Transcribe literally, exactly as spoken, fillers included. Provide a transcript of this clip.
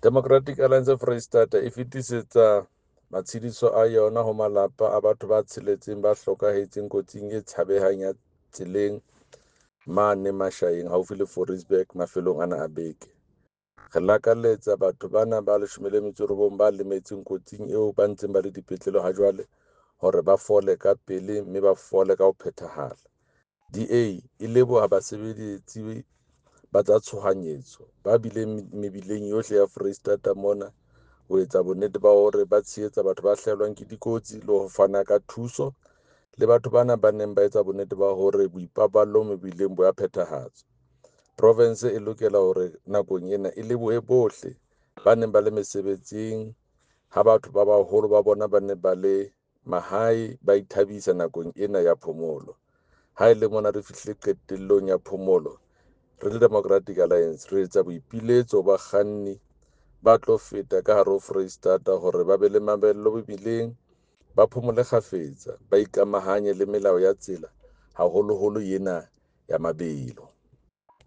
Democratic Alliance Foreisetata e fetisetsa matshediso a yona ho malapa a batho ba tsheletseng ba hlokahetseng kotsing e tshabehang ya tseleng mane Mashayeng haufi le Fouriesburg mafelong ana a beke. Re lakaletsa batho bana ba leshome le metso e robong ba lemetseng kotsing eo ba ntseng ba le dipetlele ha jwale hore ba fole ka pele mme ba fole ka ho phethahala. D A e leboha basebeletsi ba tsa tshohanyetso ba bileng mebileng yohle ya Foreisetata mona ho etsa bonnete ba hore ba tshehetsa batho ba hlahelwang ke dikotsi le ho fana ka thuso le batho bana ba neng ba etsa bonnete ba hore boipaballo mebileng bo ya phethahatswa. Provense e lokela hore nakong ena e lebohe bohle ba neng ba le mesebetsing ha batho ba baholo ba bona ba ne ba le mahae ba ithabisa nakong ena ya phomolo. Ha e le mona re fihlile qetellong ya phomolo, re le Democratic Alliance re etsa boipiletso ho bakganni ba tlo feta ka hare ho Foreisetata hore ba be le mamello mebileng, ba phomole kgafetsa, ba ikamahanye le melao ya tsela, haholoholo ena ya mabelo.